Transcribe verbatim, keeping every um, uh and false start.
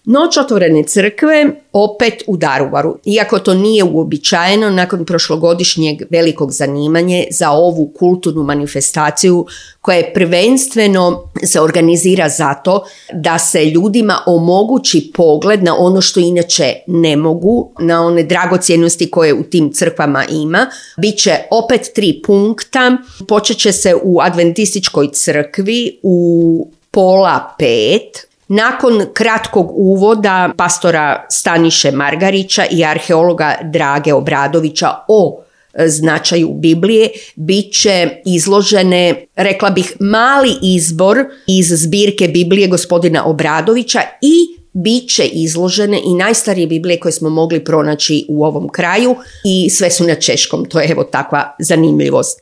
Noć otvorene crkve opet u Daruvaru. Iako to nije uobičajeno, nakon prošlogodišnjeg velikog zanimanja za ovu kulturnu manifestaciju koja je prvenstveno se organizira zato da se ljudima omogući pogled na ono što inače ne mogu, na one dragocjenosti koje u tim crkvama ima. Biće opet tri punkta. Počet će se u Adventističkoj crkvi u pola pet. Nakon kratkog uvoda pastora Staniše Margarića i arheologa Drage Obradovića o značaju Biblije, bit će izložene, rekla bih, mali izbor iz zbirke Biblije gospodina Obradovića i bit će izložene i najstarije Biblije koje smo mogli pronaći u ovom kraju i sve su na češkom. To je evo takva zanimljivost.